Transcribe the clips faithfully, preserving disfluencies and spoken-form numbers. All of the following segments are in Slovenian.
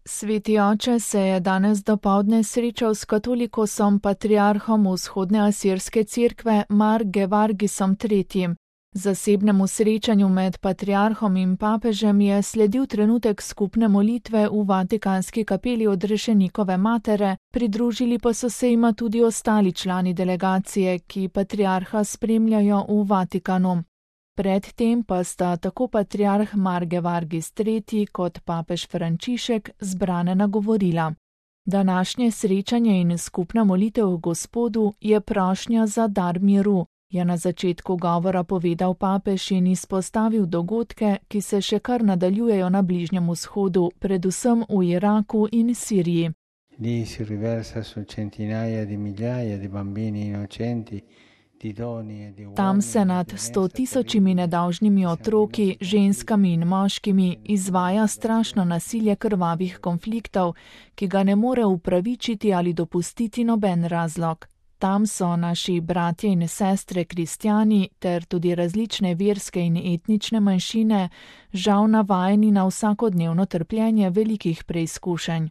Sveti oče se je danes dopoldne srečal s katolikosom patriarhom Vzhodne asirske cerkve Mar-Gevargisom tretjim. Zasebnemu srečanju med patriarhom in papežem je sledil trenutek skupne molitve v Vatikanski kapeli Odrešenikove matere, pridružili pa so se jima tudi ostali člani delegacije, ki patriarha spremljajo v Vatikanu. Predtem pa sta tako patriarh Mar-Gevargis tretji kot papež Frančišek zbrane nagovorila. Današnje srečanje in skupna molitev Gospodu je prošnja za dar miru, je na začetku govora povedal papež in izpostavil dogodke, ki se še kar nadaljujejo na Bližnjem vzhodu, predvsem v Iraku in Siriji. Lì si riversa su centinaia di migliaia di bambini innocenti. Tam se nad sto tisočimi nedolžnimi otroki, ženskami in moškimi izvaja strašno nasilje krvavih konfliktov, ki ga ne more upravičiti ali dopustiti noben razlog. Tam so naši bratje in sestre kristjani ter tudi različne verske in etnične manjšine žal navajeni na vsakodnevno trpljenje velikih preizkušenj.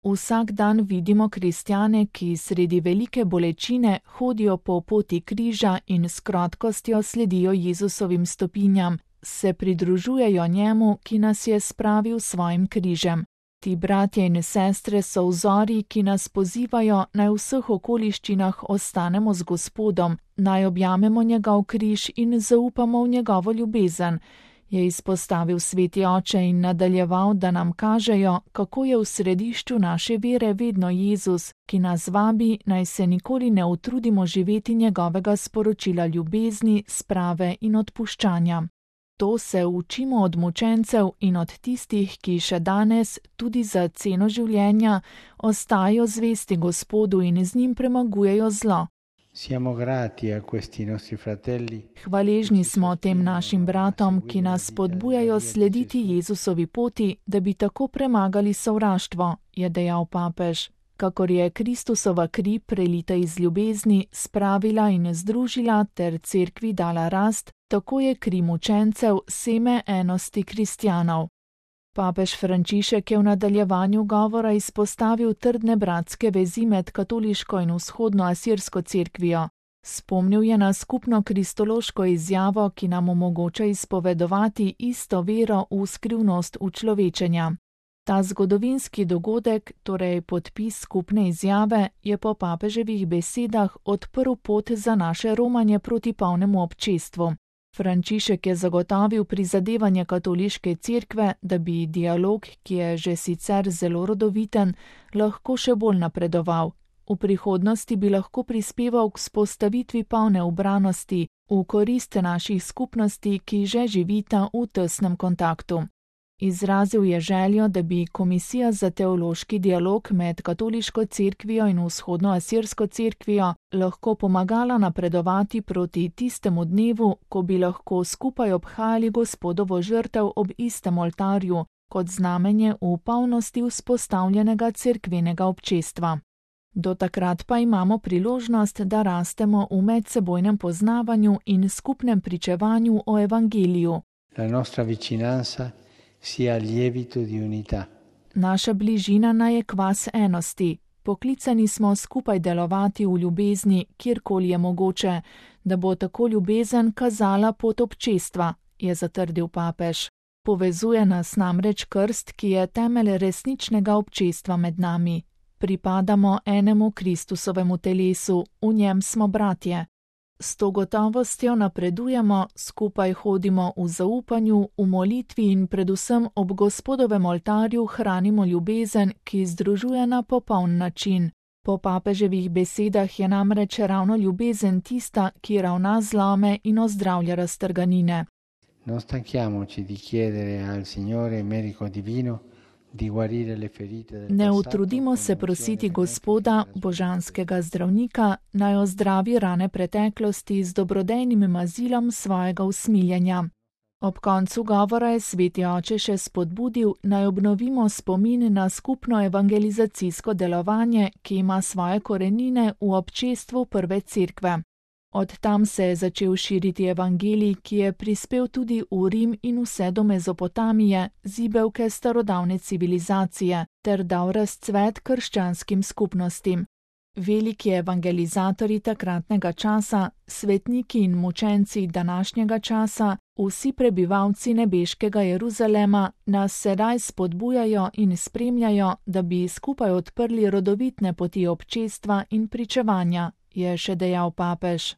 Vsak dan vidimo kristjane, ki sredi velike bolečine hodijo po poti križa in s krotkostjo sledijo Jezusovim stopinjam, se pridružujejo njemu, ki nas je spravil svojim križem. Ti bratje in sestre so vzori, ki nas pozivajo, naj v vseh okoliščinah ostanemo z Gospodom, naj objamemo njegov križ in zaupamo v njegovo ljubezen, je izpostavil sveti oče in nadaljeval, da nam kažejo, kako je v središču naše vere vedno Jezus, ki nas vabi, naj se nikoli ne utrudimo živeti njegovega sporočila ljubezni, sprave in odpuščanja. To se učimo od mučencev in od tistih, ki še danes, tudi za ceno življenja, ostajajo zvesti Gospodu in z njim premagujejo zlo. Siamo grati a questi nostri fratelli. Hvaležni smo tem našim bratom, ki nas spodbujajo slediti Jezusovi poti, da bi tako premagali sovraštvo, je dejal papež. Kakor je Kristusova kri prelita iz ljubezni, spravila in združila ter cerkvi dala rast, tako je kri mučencev seme enosti kristjanov. Papež Frančišek je v nadaljevanju govora izpostavil trdne bratske vezi med katoliško in vzhodno asirsko cerkvijo. Spomnil je na skupno kristološko izjavo, ki nam omogoča izpovedovati isto vero v skrivnost učlovečenja. Ta zgodovinski dogodek, torej podpis skupne izjave, je po papeževih besedah odprl pot za naše romanje proti polnemu občestvu. Frančišek je zagotovil prizadevanje katoliške cerkve, da bi dialog, ki je že sicer zelo rodoviten, lahko še bolj napredoval. V prihodnosti bi lahko prispeval k vzpostavitvi polne ubranosti v korist naših skupnosti, ki že živita v tesnem kontaktu. Izrazil je željo, da bi Komisija za teološki dialog med katoliško cerkvijo in vzhodno asirsko cerkvijo lahko pomagala napredovati proti tistemu dnevu, ko bi lahko skupaj obhajali Gospodovo žrtev ob istem oltarju, kot znamenje v polnosti vzpostavljenega cerkvenega občestva. Do takrat pa imamo priložnost, da rastemo v medsebojnem poznavanju in skupnem pričevanju o evangeliju. La nostra vicinanza sia lievito di unità. Naša bližina naj je kvas enosti. Poklicani smo skupaj delovati v ljubezni, kjerkoli je mogoče, da bo tako ljubezen kazala pot občestva, je zatrdil papež. Povezuje nas namreč krst, ki je temelj resničnega občestva med nami. Pripadamo enemu Kristusovemu telesu, v njem smo bratje. S to gotovostjo napredujemo, skupaj hodimo v zaupanju, v molitvi in predvsem ob Gospodovem oltarju hranimo ljubezen, ki združuje na popoln način. Po papeževih besedah je namreč ravno ljubezen tista, ki ravna zlome in ozdravlja raztrganine. Non stanchiamoci di chiedere al Signore medico divino. Ne utrudimo se prositi Gospoda, božanskega zdravnika, naj ozdravi rane preteklosti z dobrodejnim mazilom svojega usmiljenja. Ob koncu govora je sveti oče še spodbudil, naj obnovimo spomin na skupno evangelizacijsko delovanje, ki ima svoje korenine v občestvu prve cerkve. Od tam se je začel širiti evangelij, ki je prispel tudi v Rim in vse do Mezopotamije, zibelke starodavne civilizacije, ter dal razcvet krščanskim skupnostim. Veliki evangelizatorji takratnega časa, svetniki in mučenci današnjega časa, vsi prebivalci nebeškega Jeruzalema nas sedaj spodbujajo in spremljajo, da bi skupaj odprli rodovitne poti občestva in pričevanja, je še dejal papež.